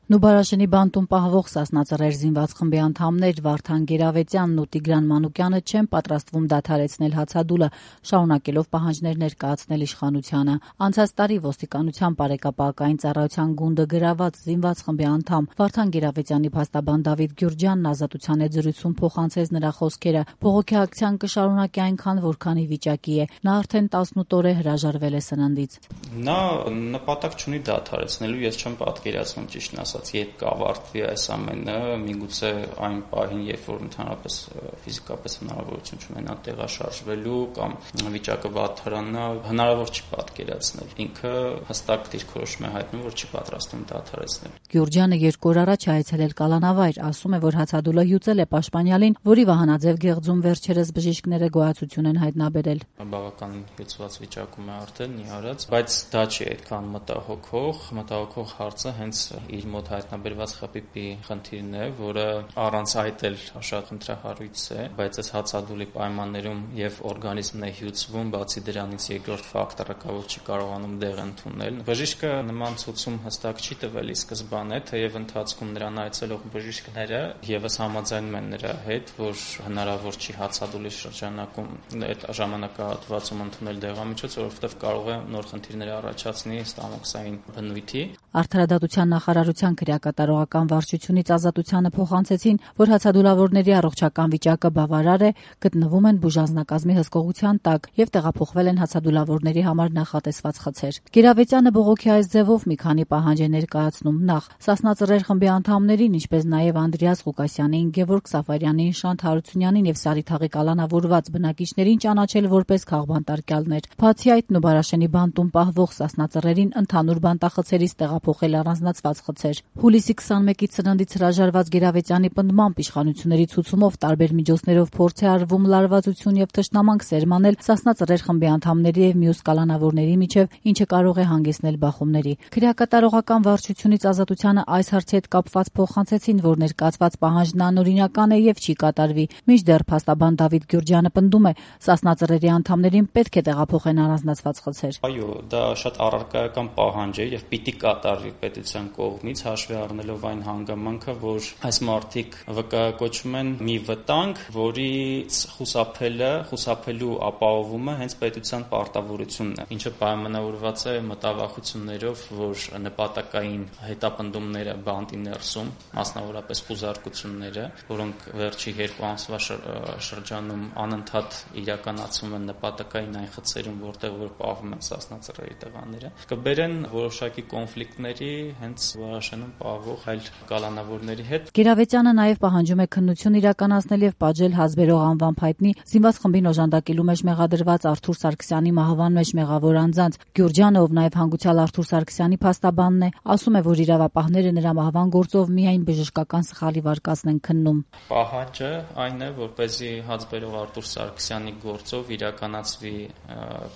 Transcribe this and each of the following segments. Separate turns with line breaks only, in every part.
Նուբարաշենի բանտում պահվող Սասնածռեր զինված խմբի անդամներ Վարդան Գերավետյանն ու Տիգրան Մանուկյանը չեն պատրաստվում դադարեցնել հացադուլը, շարունակելով պահանջներ ներկայացնել իշխանությանը։ Անցած տարի ոստիկանության բարեկապակային ծառայության գունդը գրաված զինված խմբի անդամ Վարդան Գերավետյանի փաստաբան Դավիթ Գյուրջյանն Ազատության հետ զրույցում փոխանցեց նրա խոսքերը. «Բողոքի ակցիան կշարունակի այնքան, որքանի վիճակի է»։ Նա արդեն 18 օր է հրաժարվել է սննդից։
Նա նպատակ չունի դադարեցնելու, ես չեմ պատկերացնում ճիշտն ասած, երբ կավարտվի այս ամենը, միգուցե այն պահին, երբ որ ընդհանրապես ֆիզիկապես հնարավորություն չունենա տեղաշարժվելու կամ վիճակը վատթարանա, հնարավոր չի պատկերացնել։ Ինքը հստակ դիրքորոշում է հայտնում, որ չի պատրաստվում դադարեցնել։
Գյուրջյանը 2 օր առաջ այցելել Կալանավայր, ասում է, որ հացադուլը հյուծել է Պաշտպանյալին, որի Վահանաձև գեղձում վերջերս բժիշկները գոյացություն են հայտնաբերել։
Բավական հյուծված վիճակում է արդեն նիհարած, բայց դա չի այդքան մտահոգող հարցը հենց իր մոտ հայտնաբերված խփիպի խնդիրն է, որը առանց այդ էլ շատ խնդրահարույց է, բայց այս հացադուլի պայմաններում եւ օրգանիզմն է հյուծվում, բացի դրանից երկրորդ ֆակտորը կա, որ չի կարողանում դեղ ընդունել։ Բժիշկը նման ցուցում հստակ չի տվել ի սկզբանե, թեև ընթացքում նրան այցելող բժիշկները եւս համաձայնում են նրա հետ, որ հնարավոր չի հացադուլի շրջանակում այդ ժամանակահատվածում ընդունել դեղամիջոց, որովհետեւ կարող է նոր խնդիրներ առաջացնի ստամոքսային բնույթի։
Արդարադատության նախարարության քրեակատարողական վարչությունից Ազատությանը փոխանցեցին, որ հացադուլավորների առողջական վիճակը բավարար է, գտնվում են բուժանձնակազմի հսկողության տակ եւ տեղափոխվել են հացադուլավորների համար նախատեսված խցեր։ Գերավետյանը բողոքի այս ձևով մի քանի պահանջ է ներկայացնում. նախ, Սասնածռեր խմբի անդամներին, ինչպես նաեւ Անդրեաս Ղուկասյանին, Գևորգ Սաֆարյանին, Շանթ Հարությունյանին եւ Սարիթաղի կալանավորված բնակիչներին ճանաչել որպես քաղբանտարկյալներ։ Բացի այդ, Նուբարաշենի բանտում պահվող Սասնածռերին ընդհանուր բանտախցերից տեղափոխել առանձնացված խցեր։ Հուլիսի 21-ից սննդից հրաժարված Գերավետյանի պնդմամբ իշխանությունների ցուցումով տարբեր միջոցներով փորձ է արվում լարվածություն եւ թշնամանք սերմանել Սասնածռեր խմբի անդամների եւ մյուս կալանավորների միջեւ, ինչը կարող է հանգեցնել բախումների։ Քրեակատարողական վարչությունից Ազատությանը այս հարցի հետ կապված փոխանցեցին, որ ներկայացված պահանջն անօրինական է եւ չի կատարվի։ Մինչդեռ փաստաբան Դավիթ Գյուրջյանը պնդում է, Սասնածռերի անդամներին պետք է տեղափոխեն առանձնացված խցեր։
Այո, դա շատ առարկայական պահանջ է եւ պիտի կատարվի պետության կողմից, հաշվի առնելով այն հանգամանքը, որ այս մարդիկ վկայակոչվում են մի վտանգ, որից խուսափելու ապահովումը հենց պետության պարտավորությունն է, ինչը պայմանավորված է մտավախություններով, որ նպատակային հետապնդումները բանտի ներսում, մասնավորապես խուզարկությունները, որոնք վերջի 2 ամսվա շրջանում անընդհատ իրականացվում են նպատակային այն խցերում, որտեղ որ պահվում են Սասնածռերի տղաները, կբերեն որոշակի կոնֆլիկտների հենց Նուբարաշենում պահվող այլ կալանավորների հետ։
Գերավետյանը նաև պահանջում է քննություն իրականացնել եւ պատժել հազբերող անվամբ հայտնի զինված խմբին օժանդակելու մեջ մեղադրված Արթուր Սարգսյանի մահվան մեջ մեղավոր անձանց։ Գյուրջյանը, ով նաև հանգուցյալ Արթուր Սարգսյանի փաստաբանն է, ասում է, որ իրավապահները նրա մահվան գործով միայն բժշկական սխալի վարկածն են քննում։
Պահանջը այն է, որպեսզի հազբերող Արթուր Սարգսյանի գործով իրականացվի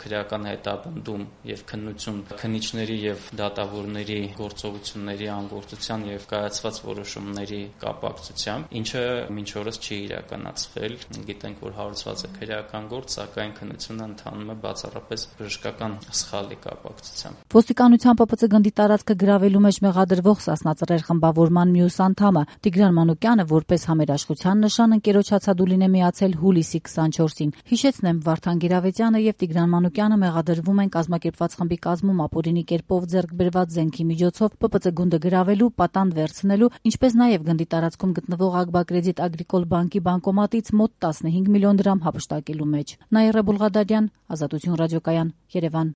քրեական հետապնդում եւ քննություն քննիչների եւ դատավորների գործողությունների անգործության եւ կայացված որոշումների կապակցությամբ, ինչը մինչ օրս չի իրականացվել։ Գիտենք, որ հարուցված է քրեական գործ, սակայն քննությունը ընթանում է բացառապես բժշկական սխալի կապակցությամբ։
Ոստիկանության ՊՊՑ գնդի տարածքը գրավելու մեջ մեղադրվող Սասնածռեր խմբավորման մյուս անդամը Տիգրան Մանուկյանը որպես համերաշխության նշան ընկերոջ հացադուլին է միացել հուլիսի 24-ին։ Հիշեցնեմ, Վարդան Գերավետյանը եւ Տիգրան Մանուկյանը մեղադրվում են կազմակերպված խմբի կազմում ապօրինի կերպով ձեռք բերված զենքի միջոցով ՊՊՑ գունդը գրավելու, պատանդ վերցնելու, ինչպես նաեւ գնդի տարածքում գտնվող Ագբակրեդիտ Ագրիկոլ բանկի բանկոմատից մոտ 15 միլիոն դրամ հափշտակելու մեջ։ Նաիրա Բուլղադարյան, Ազատություն ռադիոկայան, Երևան։